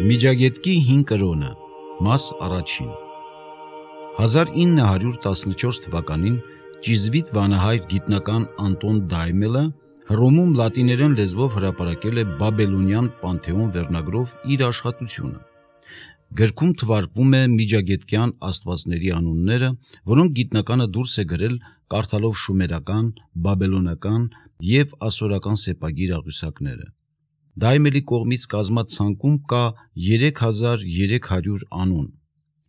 Միջագետքի 5 կրոնը, մաս առաջին։ 1914 թվականին ճիզվիտ վանահայր գիտնական Անտոն Դայմելը Հռոմում լատիներեն լեզվով հրապարակել է Բաբելոնյան Պանթեոն վերնագրով իր աշխատությունը։ Գրքում թվարկվում է միջագետքյան աստվածների անունները, որոնք գիտնականը դուրս է գրել կարդալով շումերական, բաբելոնական և ասորական սեպագիր աղյուսակները։ Դայմելի կողմից կազմած ցանկում կա 3300 անուն։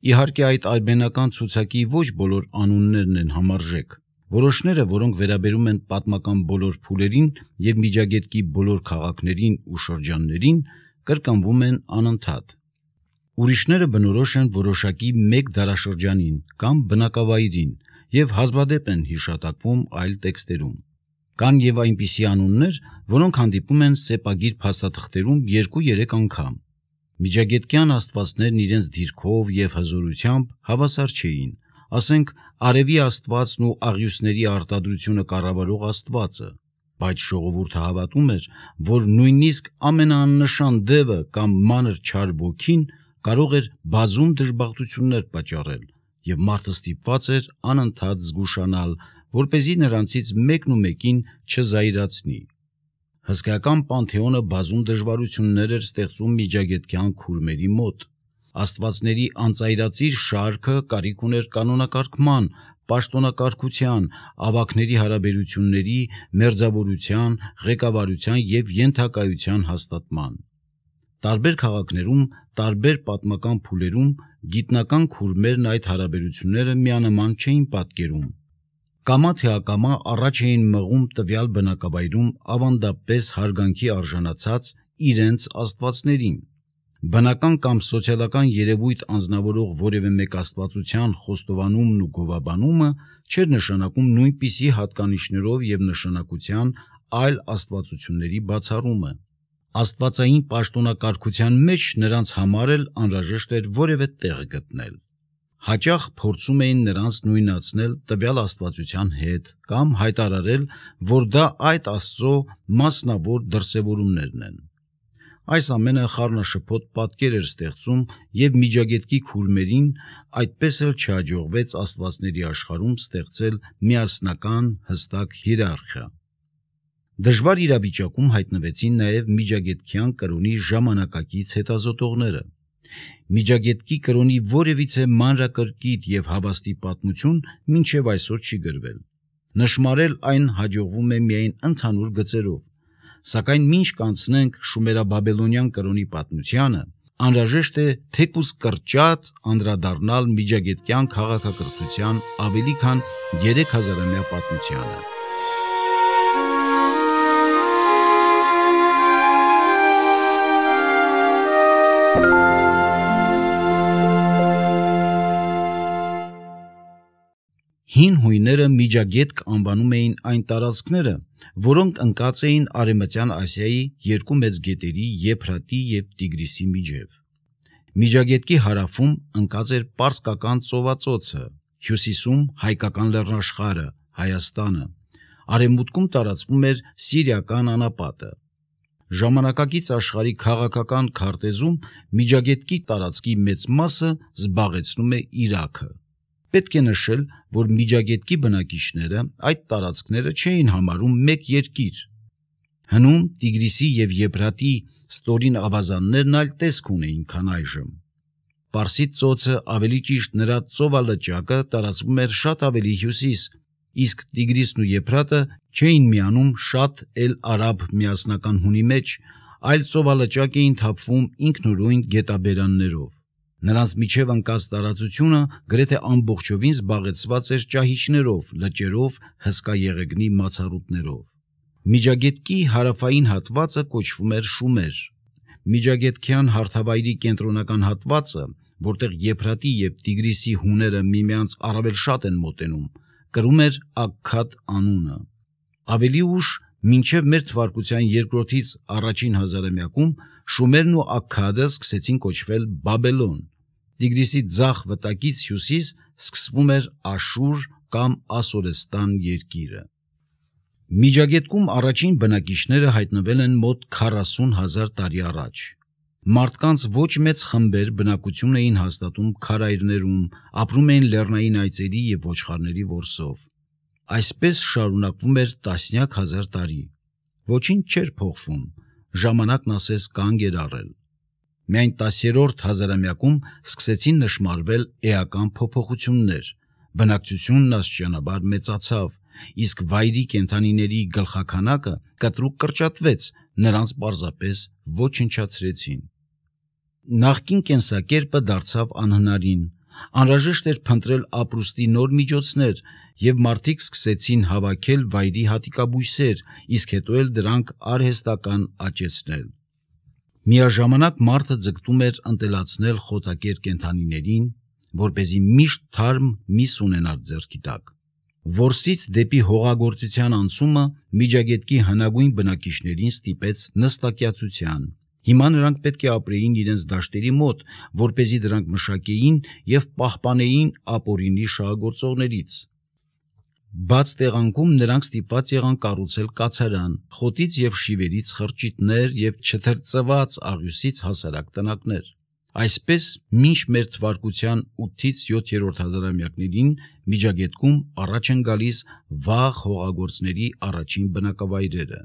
Իհարկե այդ արմենական ցուցակի ոչ բոլոր անուններն են համարժեք։ Որոշները, որոնք վերաբերում են պատմական բոլոր փուլերին և միջագետքի բոլոր քաղաքներին ու շրջաններին, կրկնվում են անընդհատ։ Ուրիշները բնորոշ են որոշակի մեկ դարաշրջանին կամ բնակավայրին և հազվադեպ են հիշատակվում այլ տեքստերում։ Կան և այնպիսի անուններ, որոնք հանդիպում են սեպագիր փաստաթղթերում 2-3 անգամ։ Միջագետքյան աստվածներն իրենց դիրքով և հզորությամբ հավասար չէին, ասենք արևի աստվածն ու աղյուսների արտադրությունը կառավարող աստվածը, բայց ժողովուրդը հավատում էր, որ նույնիսկ ամենաաննշան դևը կամ մանր չար ոգին կարող էր բազում դժբախտություններ պատճառել, և մարդը ստիպված էր անընդհատ զգուշանալ, որպեսզի նրանցից մեկն ու մեկին չզայրացնի։ Հսկայական Պանթեոնը բազում դժվարություններ էր ստեղծում միջագետքյան քուրմերի մոտ։ Աստվածների անծայրածիր շարքը կարիք ուներ կանոնակարգման, պաշտոնակարգության, ավագների հարաբերությունների, մերձավորության, ղեկավարության և ենթակայության հաստատման։ Տարբեր քաղաքներում, տարբեր պատմական փուլերում գիտնական քուրմերն այդ հարաբերությունները միանման չէին պատկերում։ Կամա թե ակամա առաջ էին մղում տվյալ բնակավայրում ավանդապես հարգանքի արժանացած իրենց աստվածներին։ Բնական կամ սոցիալական երևույթ անձնավորող որևէ մեկ աստվածության խոստովանումն ու գովաբանումը չէր նշանակում նույնպիսի հատկանիշներով և նշանակության այլ աստվածությունների բացառումը։ Աստվածային պաշտոնակարգության մեջ նրանց համար էլ անհրաժեշտ էր որևէ տեղ գտնել։ Հաճախ փորձում էին նրանց նույնացնել տվյալ աստվածության հետ կամ հայտարարել, որ դա այդ աստծո մասնավոր դրսևորումներն են։ Այս ամենը խառնաշփոթ պատկեր էր ստեղծում և միջագետքի քուրմերին այդպես էլ չհաջողվեց աստվածների աշխարհում ստեղծել միասնական հստակ հիերարխիա։ Դժվար իրավիճակում հայտնվեցին նաև միջագետքյան կրոնի ժամանակակից հետազոտողները։ Միջագետքի կրոնի որևիցե մանրակրկիտ և հավաստի պատմություն մինչև այսօր չի գրվել։ Նշմարել այն հաջողվում է միայն ընդհանուր գծերով, սակայն մինչ կանցնենք շումերաբաբելոնյան կրոնի պատմությանը, անհրաժեշտ է թեկուզ կրճատ անդրադառնալ միջագետքյան քաղաքակրթության ավելի քան 3000-ամյա պատմությանը։ Հին հույները միջագետք անվանում էին այն տարածքները, որոնք ընկած էին Արևմտյան Ասիայի երկու մեծ գետերի Եփրատի և Տիգրիսի միջև։ Միջագետքի հարավում ընկած էր Պարսկական ծովածոցը, հյուսիսում հայկական լեռնաշխարհը, Հայաստանը, արևմուտքում տարածվում էր Սիրիական անապատը։ Ժամանակակից աշխարհի քաղաքական քարտեզում միջագետքի տարածքի մեծ մասը զբաղեցնում է Իրաքը։ Պետք է նշել, որ միջագետքի բնակիչները այդ տարածքները չէին համարում մեկ երկիր։ Հնում Տիգրիսի և Եփրատի ստորին ավազաններն այլ տեսք ունեին, քան այժմ։ Պարսից ծոցը, ավելի ճիշտ նրա ծովալճակը տարածվում էր շատ ավելի հյուսիս, իսկ Տիգրիսն ու Եփրատը չէին միանում շատ էլ-արաբ միասնական հունի մեջ, այլ ծովալճակ էին թափվում ինքնուրույն գետաբերաններով։ Նրանց միջև ընկած տարածությունը գրեթե ամբողջովին զբաղեցված էր ճահիճներով, լճերով, հսկա եղեգնի մացառուտներով։ Միջագետքի հարավային հատվածը կոչվում էր Շումեր։ Միջագետքյան հարթավայրի կենտրոնական հատվածը, որտեղ Եփրատի և Տիգրիսի հուները միմյանց առավել շատ են մոտենում, կրում էր Աքքադ անունը։ Ավելի ուշ, մինչև մեր թվարկության երկրորդից առաջին հազարամյակում, Շումերն ու Աքքադը սկսեցին կոչվել Բաբելոն։ Տիգրիսի ձախ վտակից հյուսիս սկսվում էր Աշուր կամ Ասորեստան երկիրը։ Միջագետքում առաջին բնակիչները հայտնվել են մոտ 40,000 տարի առաջ։ Մարդկանց ոչ մեծ խմբեր բնակություն էին հաստատում քարայրներում, ապրում էին լեռնային այծերի եւ ոչխարների որսով։ Այսպես շարունակվում էր տասնյակ հազար տարի։ Ոչինչ չէր փոխվում, ժամանակն ասես կանգ էր առել։ Միայն 10-րդ հազարամյակում սկսեցին նշմարվել էական փոփոխություններ, բնակչությունն աստիճանաբար մեծացավ, իսկ վայրի կենդանիների գլխաքանակը կտրուկ կրճատվեց, նրանց պարզապես ոչնչացրեցին։ Նախկին կենսակերպը դարձավ անհնարին, անհրաժեշտ էր փնտրել ապրուստի նոր միջոցներ, եւ մարդիկ սկսեցին հավաքել վայրի հատիկաբույսեր, իսկ հետո էլ դրանք արհեստական աճեցնել։ Միաժամանակ մարդը ձգտում էր ընտելացնել խոտակեր կենդանիներին, որպեսզի միշտ թարմ միս ունենար ձեռքի տակ։ Որսից դեպի հողագործության անցումը Միջագետքի հնագույն բնակիչներին ստիպեց նստակյացության։ Հիմա նրանք պետք է ապրեին իրենց դաշտերի մոտ, որպեսզի դրանք մշակեին եւ պահպանեին ապօրինի շահագործողներից։ Բաց տեղանքում նրանք ստիպված եղան կառուցել կացարան, խոտից եւ շիվերից խրճիթներ եւ չթրծված աղյուսից հասարակ տնակներ։ Այսպես մինչ մեր թվարկության 8-ից 7-րդ հազարամյակներին Միջագետքում առաջ են գալիս վաղ հողագործների առաջին բնակավայրերը։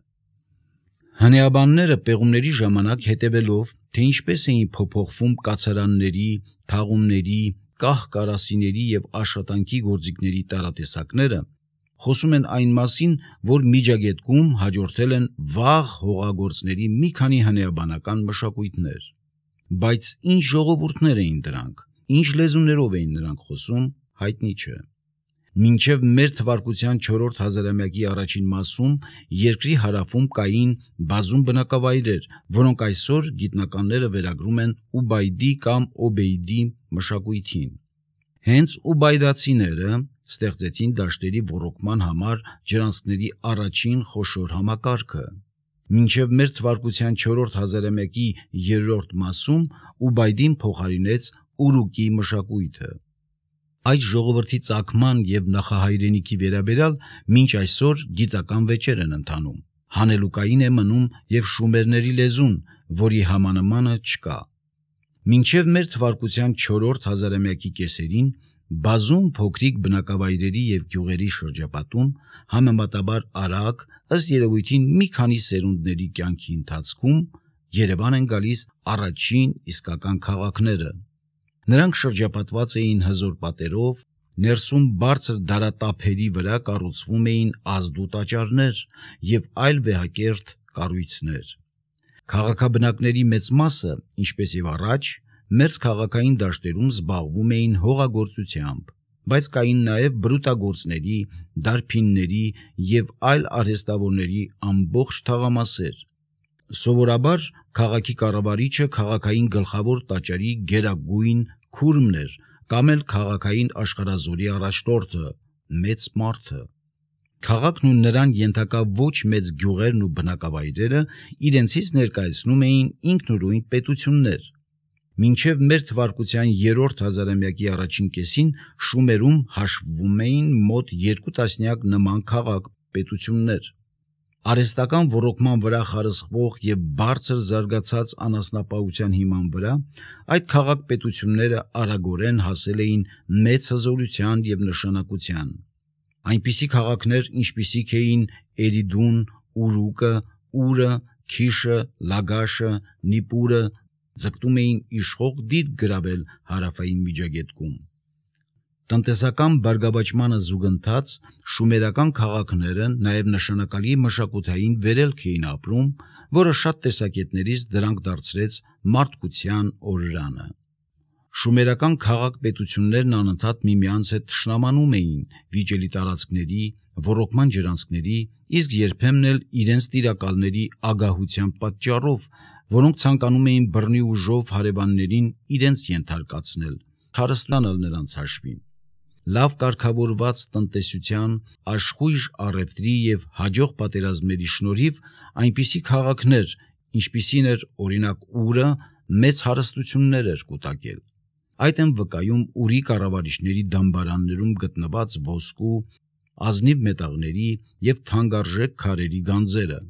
Հնեաբանները պեղումների ժամանակ հետևելով, թե ինչպես էին փոփոխվում կացարանների, թաղումների, կահ-կարասիների եւ աշխատանքի գործիքների տարատեսակները, խոսում են այն մասին, որ Միջագետքում հաջորդել են վաղ հողագործների մի քանի հնեաբանական մշակույթներ։ Բայց ինչ ժողովուրդներ էին դրանք, ինչ լեզուներով էին նրանք խոսում, հայտնի չէ։ Մինչև մեր թվարկության 4-րդ հազարամյակի առաջին մասում երկրի հարավում կային բազում բնակավայրեր, որոնք այսօր գիտնականները վերագրում են Ուբայդի կամ Օբեյդի մշակույթին։ Հենց ուբայդացիները ստեղծեցին դաշտերի ոռոգման համար ջրանցքների առաջին խոշոր համակարգը։ Մինչև մեր թվարկության 4-րդ հազարամյակի 3-րդ մասում Ուբայդին փոխարինեց Ուրուկի մշակույթը։ Այդ ժողովրդի ծագման եւ նախահայրենիքի վերաբերյալ մինչ այսօր գիտական վեճեր են ընթանում։ Հանելուկային է մնում եւ շումերների լեզուն, որի համանմանը չկա։ Մինչև մեր թվարկության 4-րդ հազարամյակի կեսերին բազում փոքրիկ բնակավայրերի եւ գյուղերի շրջապատում համեմատաբար արագ, ըստ երևույթին մի քանի սերունդների կյանքի ընթացքում Երևան են գալիս առաջին իսկական քաղաքները։ Նրանք շրջապատված էին հզոր պատերով, ներսում բարձր դարատափերի վրա կառուցվում էին ազդու տաճարներ եւ այլ վեհակերտ կառույցներ։ Քաղաքաբնակների մեծ մասը, ինչպես եւ առաջ, մերձ քաղաքային դաշտերում զբաղվում էին հողագործությամբ, բայց կային նաեւ բրուտագործների, դարբինների եւ այլ արհեստավորների ամբողջ թաղամասեր։ Սովորաբար քաղաքի կառավարիչը քաղաքային գլխավոր տաճարի գերագույն քուրմն էր կամ էլ քաղաքային աշխարհազորի առաջնորդը, մեծ մարդը։ Քաղաքն ու նրան ենթակա ոչ մեծ գյուղերն ու բնակավայրերը իրենցից ներկայացնում էին ինքնուրույն պետություններ։ Մինչև մեր թվարկության 3-րդ հազարամյակի առաջին կեսին Շումերում հաշվվում էին մոտ 2 տասնյակ նման քաղաք-պետություններ։ Արհեստական ոռոգման վրա խարսխվող եւ բարձր զարգացած անասնապահության հիման վրա այդ քաղաք-պետությունները արագորեն հասել էին մեծ հզորության եւ նշանակության։ Այնպիսի քաղաքներ, ինչպիսիք էին Էրիդուն, Ուրուկը, Ուրը, Քիշը, Լագաշը, Նիպուրը, ձգտում էին իշխող դիրք գրավել հարավային Միջագետքում։ Տնտեսական բարգավաճմանը զուգընթաց շումերական քաղաքները նաև նշանակալի մշակութային վերելք էին ապրում, որը շատ տեսակետներից դրանք դարձրեց մարդկության օրրանը։ Շումերական քաղաք-պետություններն անընդհատ միմյանց հետ թշնամանում էին վիճելի տարածքների, ոռոգման ջրանցքների, իսկ երբեմն էլ իրենց տիրակալների ագահության պատճառով, որոնք ցանկանում էին բռնի ուժով հարևաններին իրենց ենթարկացնել, հարստանալ նրանց հաշվին։ Լավ կարգավորված տնտեսության, աշխույժ առևտրի եւ հաջող պատերազմների շնորհիվ այնպիսի քաղաքներ, ինչպիսին էր օրինակ Ուրը, մեծ հարստություններ էր կուտակել։ Այդ են վկայում Ուրի կառավարիչների դամբարաններում գտնված ոսկու, ազնիվ մետաղների եւ թանկարժեք քարերի գանձերը։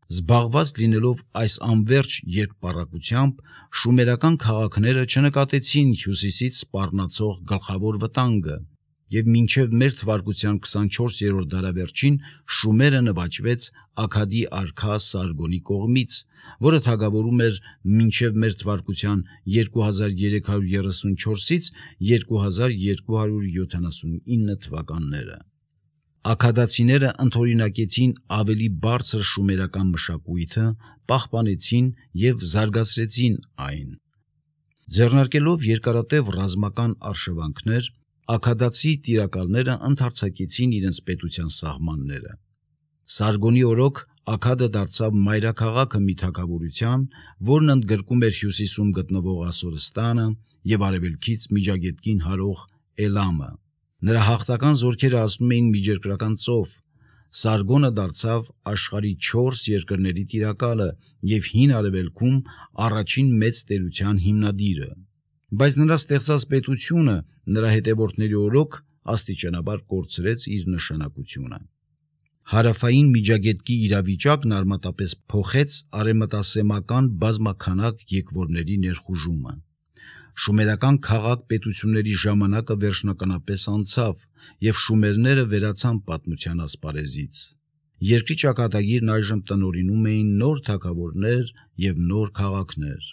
Զբաղված լինելով այս անվերջ երկպառակությամբ, շումերական քաղաքները չնկատեցին հյուսիսից սպառնացող գլխավոր վտանգը, եւ մինչև մեր թվարկության 24-րդ դարավերջին Շումերը նվաճվեց Աքադի արքա Սարգոնի կողմից, որը թագավորում էր մինչև մեր թվարկության 2334-ից 2279 թվականները։ Աքադացիները ընդօրինակեցին ավելի բարձր շումերական մշակույթը, պահպանեցին եւ զարգացրեցին այն։ Ձեռնարկելով երկարատև ռազմական արշավանքներ, աքադացի տիրակալները ընդարձակեցին իրենց պետության սահմանները։ Սարգոնի օրոք Աքադը դարձավ մայրաքաղաքը մի թագավորության, որն ընդգրկում էր հյուսիսում գտնվող Ասորստանը եւ արևելքից Միջագետքին հարող Էլամը։ Նրա հաղթական զորքերը ասում էին Միջերկրական ծով։ Սարգոնը դարձավ աշխարհի 4 երկրների տիրակալը եւ հին արևելքում առաջին մեծ տերության հիմնադիրը։ Բայց նրա ստեղծած պետությունը նրա հետևորդների օրոք աստիճանաբար կորցրեց իր նշանակությունը։ Հարավային Միջագետքի իրավիճակն արմատապես փոխեց արևմտասեմական բազմաքանակ եկվորների ներխուժումը։ Շումերական քաղաք պետությունների ժամանակը վերջնականապես անցավ, եւ շումերները վերացան պատմության ասպարեզից։ Երկրի ճակատագիրն այժմ տնօրինում էին նոր թագավորներ եւ նոր քաղաքներ։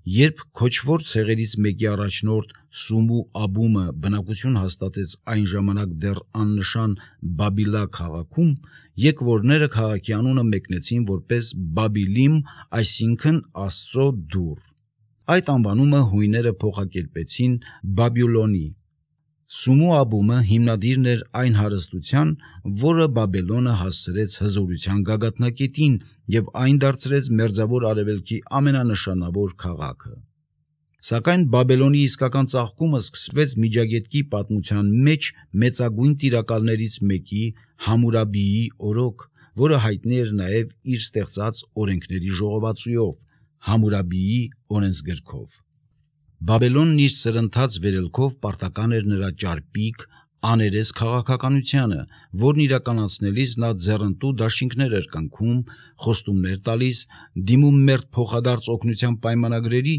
Երբ քոչվոր ցեղերից մեկի առաջնորդ Սումու Աբումը բնակություն հաստատեց այն ժամանակ դեռ աննշան Բաբիլա քաղաքում, եկվորները քաղաքի անունը մեկնեցին որպես Բաբիլիմ, այսինքն Աստծո դուռ։ Այդ անվանումը հույները փոխակերպեցին Բաբյուլոնի։ Սումու Աբումը հիմնադիրն էր այն հարստության, որը Բաբելոնը հասցրեց հզորության գագաթնակետին եւ այն դարձրեց մերձավոր արևելքի ամենանշանավոր քաղաքը։ Սակայն Բաբելոնի իսկական ծաղկումը սկսվեց Միջագետքի պատմության մեջ մեծագույն տիրակալներից մեկի Համուրաբիի օրոք, որը հայտնի էր նաև իր ստեղծած օրենքների ժողովածուով, Համուրաբիի օրենսգրքով։ Բաբելոնն իր սրընթաց վերելքով պարտական էր նրա ճարպիկ, աներես քաղաքականությանը, որն իրականացնելիս նա ձեռնտու դաշինքներ էր կնքում, խոստումներ տալիս, դիմում մերթ փոխադարձ օգնության պայմանագրերի,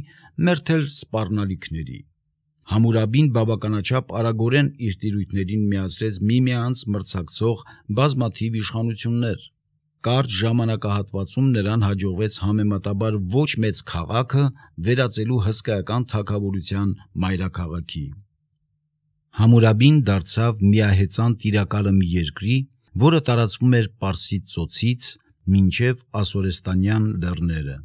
մերթ էլ սպառնալիքների։ Համուրաբին բավականաչափ արագորեն իր տիրույթներին միացրեց միմյանց մրցակցող բազմաթիվ իշխանություններ։ Կարճ ժամանակահատվածում նրան հաջողվեց համեմատաբար ոչ մեծ քաղաքը վերածելու հսկայական թագավորության մայրաքաղաքի։ Համուրաբին դարձավ միահեծան տիրակալը մի երկրի, որը տարածվում էր Պարսից ծոցից մինչև Ասորեստանյան լեռները։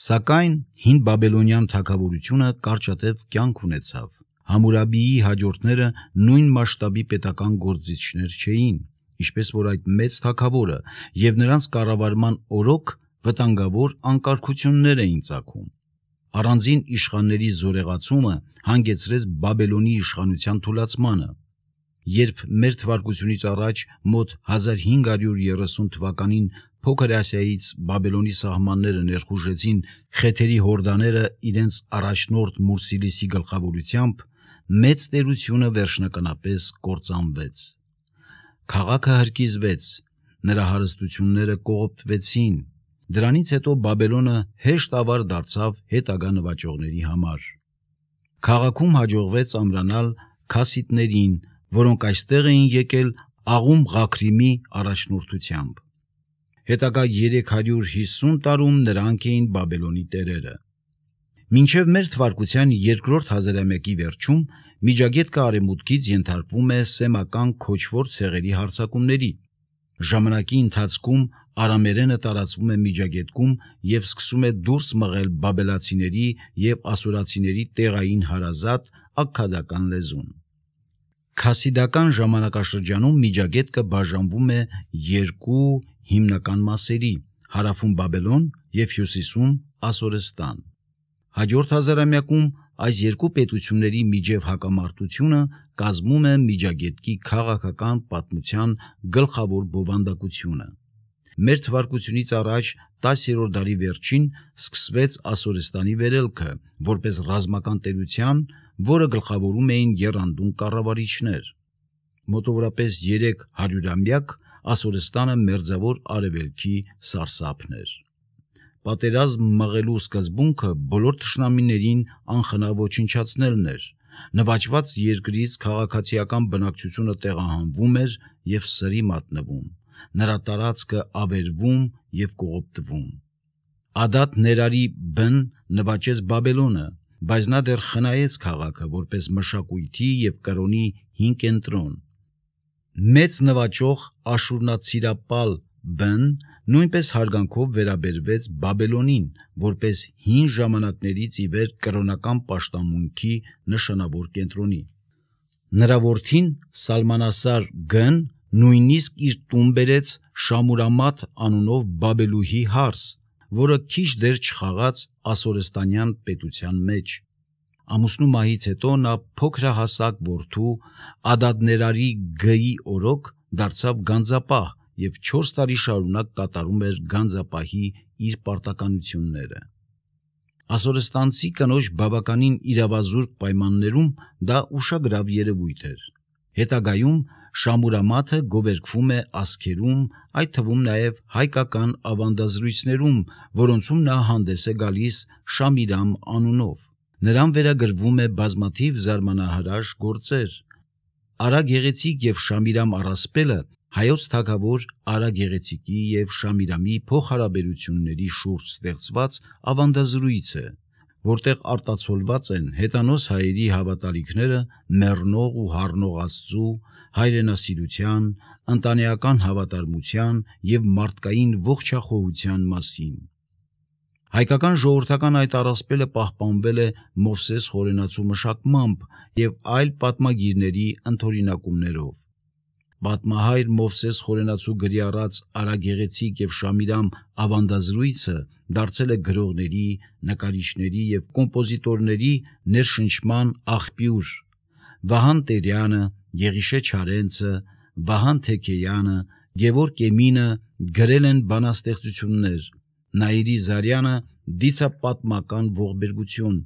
Սակայն հին բաբելոնյան թագավորությունը կարճատև կյանք ունեցավ։ Համուրաբիի հաջորդները նույն մասշտաբի պետական գործիչներ չէին, ինչպես որ այդ մեծ թագավորը, եւ նրանց կառավարման օրոք վտանգավոր անկարգություններ էին ծագում։ Առանձին իշխանների զորեղացումը հանգեցրեց Բաբելոնի իշխանության թուլացմանը։ Երբ մեր թվարկությունից առաջ մոտ 1530 թվականին Փոքր Ասիայից Բաբելոնի սահմանները ներխուժեցին խեթերի հորդաները իրենց առաջնորդ Մուրսիլիսի գլխավորությամբ, մեծ տերությունը վերջնականապես կործանվեց։ Քաղաքը հրկիզվեց, նրա հարստությունները կողոպտվեցին։ Դրանից հետո Բաբելոնը հեշտ ավար դարձավ հետագա նվաճողների համար։ Քաղաքում հաջողվեց ամրանալ քասիտներին, որոնք այստեղ էին եկել Աղում Ղաքրիմի առաջնորդությամբ։ Հետագա 350 տարում նրանք էին Բաբելոնի տերերը։ Մինչև մեր թվարկության երկրորդ հազարամյակի վերջում Միջագետքը արևմուտքից ենթարկվում է սեմական քոչվոր ցեղերի հարձակումների։ Ժամանակի ընթացքում արամերենը տարածվում է Միջագետքում եւ սկսում է դուրս մղել բաբելացիների եւ ասորացիների տեղային հարազատ աքքադական լեզուն։ Քասիդական ժամանակաշրջանում Միջագետքը բաժանվում է երկու հիմնական մասերի՝ հարավում Բաբելոն եւ հյուսիսում Ասորեստան։ Հաջորդ հազարամյակում այս երկու պետությունների միջև հակամարտությունը կազմում է Միջագետքի քաղաքական պատմության գլխավոր բովանդակությունը։ Մեր թվարկությունից առաջ 10-րդ դարի վերջին սկսվեց Ասորեստանի վերելքը, որպես ռազմական տերության, որը գլխավորում էին եռանդուն կառավարիչներ։ Մոտավորապես 300-ամյակ Ասորստանը մերձավոր արևելքի սարսափն էր։ Պատերազմ մղելու սկզբունքը բոլոր թշնամիներին անխնա ոչնչացնելն էր։ Նվաճված երկրից քաղաքացիական բնակչությունը տեղահանվում էր եւ սրի մատնվում, նրա տարածքը ավերվում եւ կողոպտվում։ Ադատ Ներարի բն նվաճեց Բաբելոնը, բայց նա դեռ խնայեց քաղաքը որպես մշակույթի եւ կրոնի հին կենտրոն։ Մեծ նվաճող Աշուրնացիրապալ բն նույնպես հարգանքով վերաբերվեց Բաբելոնին որպես հին ժամանակներից ի վեր կրոնական պաշտամունքի նշանավոր կենտրոնի։ Նրա որդին Սալմանասար Գն նույնիսկ իր տուն բերեց Շամուրամաթ անունով Բաբելուհի հարս, որը քիչ դեր չխաղաց ասորստանյան պետության մեջ։ Ամուսնու մահից հետո նա փոքրահասակ որդու Ադադներարի Գ-ի օրոք դարձավ գանձապահ եւ 4 տարի շարունակ կատարում էր գանձապահի իր պարտականությունները։ Ասորստանցի կնոջ բավականին իրավազուրկ պայմաններում դա ուշագրավ երևույթ էր։ Հետագայում Շամուրամաթը գովերգվում է ասքերում, այդ թվում նաև հայկական ավանդազրույցներում, որոնցում նա հանդես է գալիս Շամիրամ անունով։ Նրան վերագրվում է բազմաթիվ զարմանահրաշ գործեր։ Արա Գեղեցիկ եւ Շամիրամ առասպելը հայոց թագավոր Արա Գեղեցիկի եւ Շամիրամի փոխհարաբերությունների շուրջ ստեղծված ավանդազրույց է, որտեղ արտացոլված են հետանոց հայերի հավատալիքները մեռնող ու հառնող Աստծու, հայրենասիրության, ընտանեկան հավատարմության եւ մարդկային ողջախոհության մասին։ Հայկական ժողովրդական այդ առասպելը պահպանվել է Մովսես Խորենացու մշակմամբ եւ այլ պատմագիրների ընդօրինակումներով։ Պատմահայր Մովսես Խորենացու գրի առած Արա Գեղեցիկ եւ Շամիրամ ավանդազրույցը դարձել է գրողների, նկարիչների եւ կոմպոզիտորների ներշնչման աղբյուր։ Վահան Տերյանը, Եղիշե Չարենցը, Վահան Թեքեյանը, Գևորգ Էմինը գրել են բանաստեղծություններ, Նաիրի Զարյանը դիցապատմական ողբերգություն,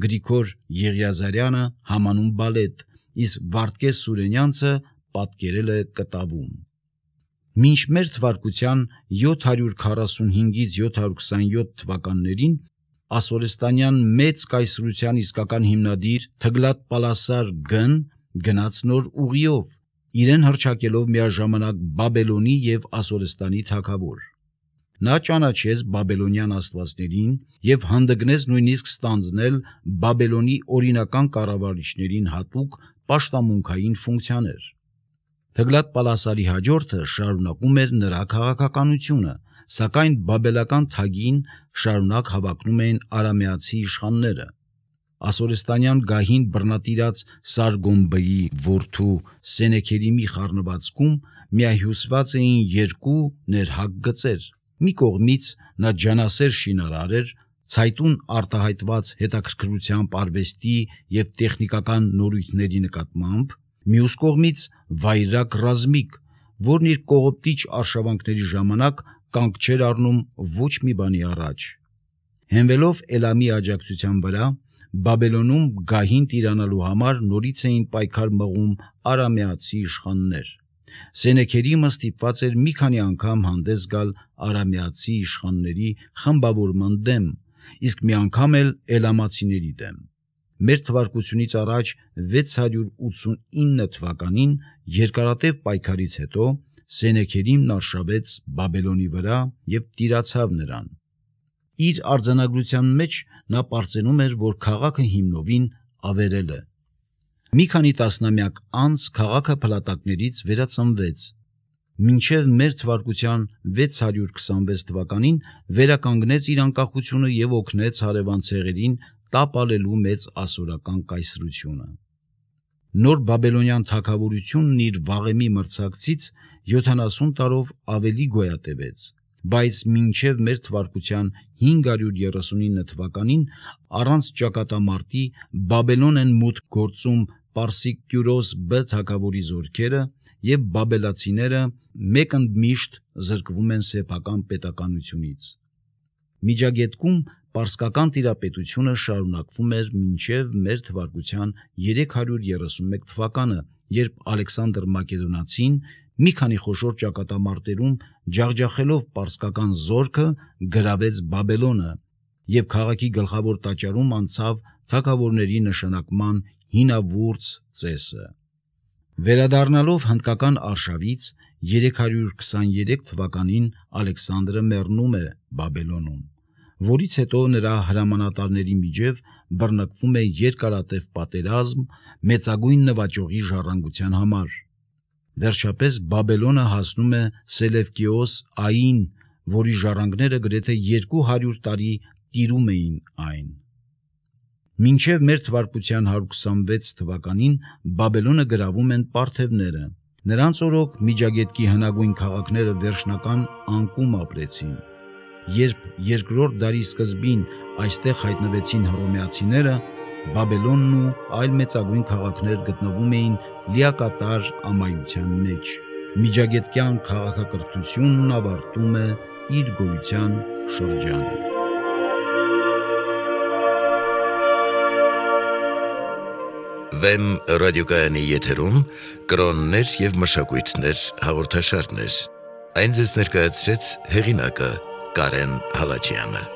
Գրիգոր Եղիազարյանը համանուն բալետ, իսկ Վարդգես Սուրենյանցը պատկերել է կտավում։ Մինչ մեր թվարկության 745-ից 727 թվականներին ասորստանյան մեծ կայսրության իսկական հիմնադիր Թգլատ Պալասար Գն գնաց նոր ուղիով, իրեն հռչակելով միաժամանակ Բաբելոնի եւ Ասորստանի թագավոր։ Նա ճանաչեց բաբելոնյան աստվածներին եւ հանդգնեց նույնիսկ ստանձնել Բաբելոնի օրինական կառավարիչներին հատուկ պաշտամունքային ֆունկցիաներ։ Թգլատ Պալասարի հաջորդը շարունակում էր նրա քաղաքականությունը, սակայն բաբելական թագին շարունակ հավակնում էին արամեացի իշխանները։ Ասորստանյան գահին բռնատիրած Սարգոմբեի որդու Սենեքերիմի խառնվածքում միահյուսված էին երկու ներհակ գծեր։ Մի կողմից նա ջանասեր շինարար էր, ցայտուն արտահայտված հետաքրքրությամբ արվեստի եւ տեխնիկական նորույթների նկատմամբ, մյուս կողմից վայրագ ռազմիկ, որն իր կողոպտիչ արշավանքների ժամանակ կանգ չէր առնում ոչ մի բանի առաջ։ Հենվելով Էլամի աջակցության վրա, Բաբելոնում գահին տիրանալու համար նորից էին պայքար մղում արամեացի իշխաններ։ Սենեքերիմը ստիպված էր մի քանի անգամ հանդես գալ արամեացի իշխանների խմբավորման դեմ, իսկ մի անգամ էլ էլամացիների դեմ։ Մեր թվարկությունից առաջ 689 թվականին երկարատև պայքարից հետո Սենեքերիմն արշավեց Բաբելոնի վրա եւ տիրացավ նրան։ Իր արձանագրության մեջ նա պարծենում էր, որ քաղաքը հիմնովին ավերել է։ Մի քանի տասնամյակ անց քաղաքը փլատակներից վերածնվեց։ Մինչև մեր թվարկության 626 թվականին վերականգնեց իր անկախությունը եւ օգնեց հարևան ցեղերին տապալելու մեծ ասորական կայսրությունը։ Նոր բաբելոնյան թագավորությունն իր վաղեմի մրցակցից 70 տարով ավելի գոյատևեց, բայց մինչև մեր թվարկության 539 թվականին առանց ճակատամարտի Բաբելոն են մուտք գործում Պարսիկ Կյուրոս Բ թագավորի զորքերը եւ բաբելացիները մեկընդմիշտ զրկվում են սեփական պետականությունից։ Միջագետքում պարսկական տիրապետությունը շարունակվում էր մինչև մեր թվարկության 331 թվականը, երբ Ալեքսանդր Մակեդոնացին մի քանի խոշոր ճակատամարտերում ջախջախելով պարսկական զորքը գրավեց Բաբելոնը եւ քաղաքի գլխավոր տաճարում անցավ թագավորների նշանակման հինավուրց ծեսը։ Վերադառնալով հնդկական արշավից 323 թվականին Ալեքսանդրը մեռնում է Բաբելոնում, որից հետո նրա հրամանատարների միջև բռնկվում է երկարատև պատերազմ մեծագույն նվաճողի ժառանգության համար։ Վերջապես Բաբելոնը հասնում է Սելևկիոս Ային, որի ժառանգները գրեթե 200 տարի տիրում էին այն։ Մինչև մեր թվարկության 126 թվականին Բաբելոնը գրավում են պարթևները։ Նրանց օրոք Միջագետքի հնագույն քաղաքները վերջնական անկում ապրեցին։ Երբ երկրորդ դարի սկզբին այստեղ հայտնվեցին հռոմեացիները, Բաբելոնն ու այլ մեծագույն քաղաքներ գտնվում էին լիակատար ամայության մեջ։ Միջագետքյան քաղաքակրթությունն ավարտում է իր գոյության շրջանը։ Վեմ ռադիոկայանի եթերում կրոններ և մշակույթներ հաղորդաշարներ։ Այն ձեզ ներկայացրեց հեղինակը Կարեն Հալաջյանը։